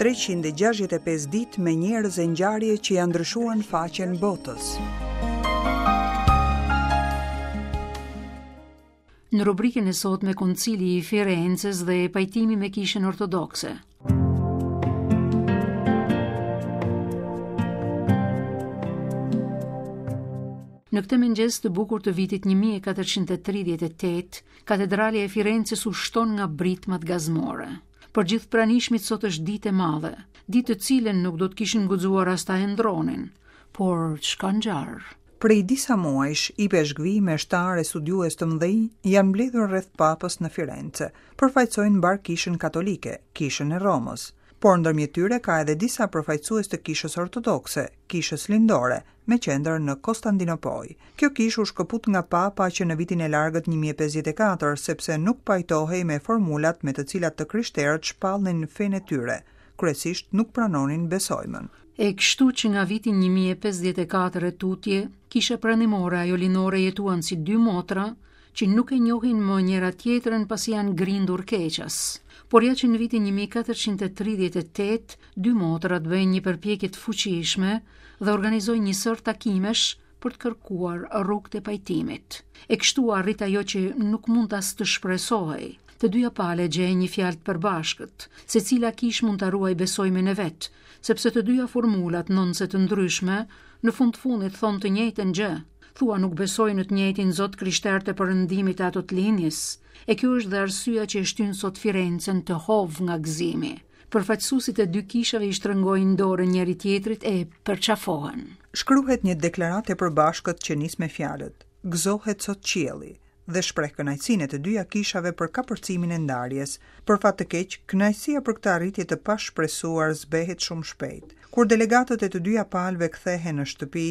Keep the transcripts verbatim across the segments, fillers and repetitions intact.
treqind e gjashtëdhjetë e pesë ditë me njerëz e ngjarje që janë ndryshuar në faqen botës. Në rubrikën e sotme Koncili i Firences dhe pajtimi me Kishën Ortodokse. Në këtë mëngjes të bukur të vitit një mijë e katërqind e tridhjetë e tetë, katedralja e Firences u shton nga britmat gazmore. Për gjithë pranishmit sot është ditë e madhe, ditë të cilën nuk do të kishin guxuar as ta ndronin, por ç'ka ngjarë? Prej disa muajsh, ipeshkvi, meshtar e studiues të mëdhenj janë mbledhur rreth papës në Firence, përfaqësojnë mbar kishën katolike, kishën e Romës. Por ndërmjet tyre ka edhe disa përfaqësues të kishës ortodokse, kishës lindore, me qendër në Konstantinopojë. Kjo kishë u shkëput nga papa që në vitin e largët një mijë e pesëdhjetë e katër, sepse nuk pajtohej me formulat me të cilat të krishterët shpallnin fenë e tyre, kryesisht nuk pranonin besojmën. E kështu që nga viti një mijë e pesëdhjetë e katër e tutje, kisha pranimore ajo lindore jetuan si dy motra që nuk e njohin më njëra tjetrën pasi janë grindur keqas. Por ja që në vitin një mijë e katërqind e tridhjetë e tetë, dy motrat bëjnë një përpjekje të fuqishme dhe organizojnë një sër takimesh për të kërkuar rrugët e pajtimit. E kështu arrit ajo që nuk mund as të shpresohej. Të dyja pale gjejnë një fjalë të përbashkët, secila kish mund ta ruajë besojmin e vet, sepse të dyja formulat, ndonëse të ndryshme, në fund të fundit thonë të njëjtën gjë. Thua nuk besoj në të njëjtin Zot krishter të perëndimit e ato të linjës. E kjo është dhe arsyeja që e shtyn sot Firencen të hov nga gëzimi. Përfaqësuesit e dy kishave i shtrëngojnë dorën njëri tjetrit e përqafohen. Shkruhet një deklaratë e përbashkët që nis me fjalët: Gëzohet sot qielli, dhe shpreh kënaqësinë e të dyja kishave për kapërcimin e ndarjes. Për fat të keq, kënaqësia për këtë arritje të pashpresuar zbehet shumë shpejt. Kur delegatët e të dyja palëve kthehen në shtëpi,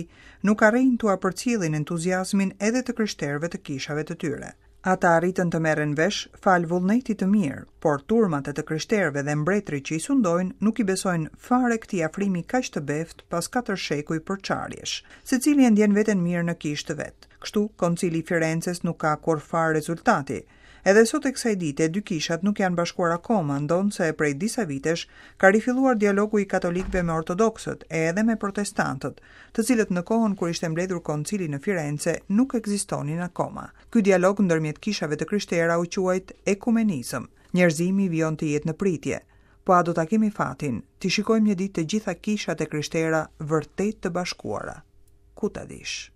nuk arrijnë t'ua përcjellin entuziazmin edhe të krishterëve të kishave të tyre. Ata arritën të merren vesh fal vullnetit të mirë, por turmat e të krishterëve dhe mbretërit që i sundojnë nuk i besojnë fare këtij afrimi kaq të beftë pas katër shekuj përçarjesh. Secili e ndjen veten mirë në kishë të vet. Kështu, Koncili i Firences nuk ka kurrfar rezultati. Edhe sot e kësaj dite, dy kishat nuk janë bashkuar akoma, ndonëse prej disa vitesh ka rifilluar dialogu i katolikëve me ortodoksët e edhe me protestantët, të cilët në kohën kur ishte mbledhur koncili në Firence nuk ekzistonin akoma. Ky dialog ndërmjet kishave të krishtera u quajt ekumenizëm. Njerëzimi vijon të jetë në pritje. Po a do ta kemi fatin, t'i shikojmë një ditë të gjitha kishat e krishtera vërtet të bashkuara? Ku ta dish?